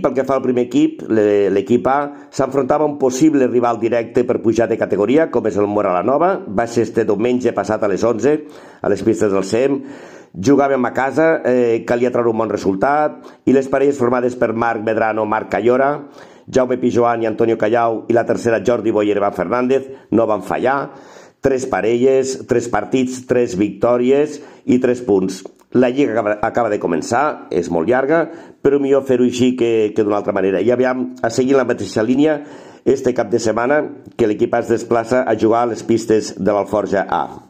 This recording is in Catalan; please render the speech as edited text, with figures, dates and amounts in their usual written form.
Pel que fa al primer equip, l'equip A s'enfrontava a un possible rival directe per pujar de categoria, com és el Móra la Nova. Va ser este diumenge passat a les 11, a les pistes del SEM. Jugàvem a casa, calia treure un bon resultat, i les parelles formades per Marc Medrano, Marc Callora, Jaume Pijoan i Antonio Callau, i la tercera Jordi Boyer i Iván Fernández, no van fallar. 3 parelles, 3 partits, 3 victòries i 3 punts. La lliga acaba de començar, és molt llarga, però millor fer-ho així que d'una altra manera. I aviam, a seguir la mateixa línia, este cap de setmana que l'equip es desplaça a jugar a les pistes de l'Alforja A.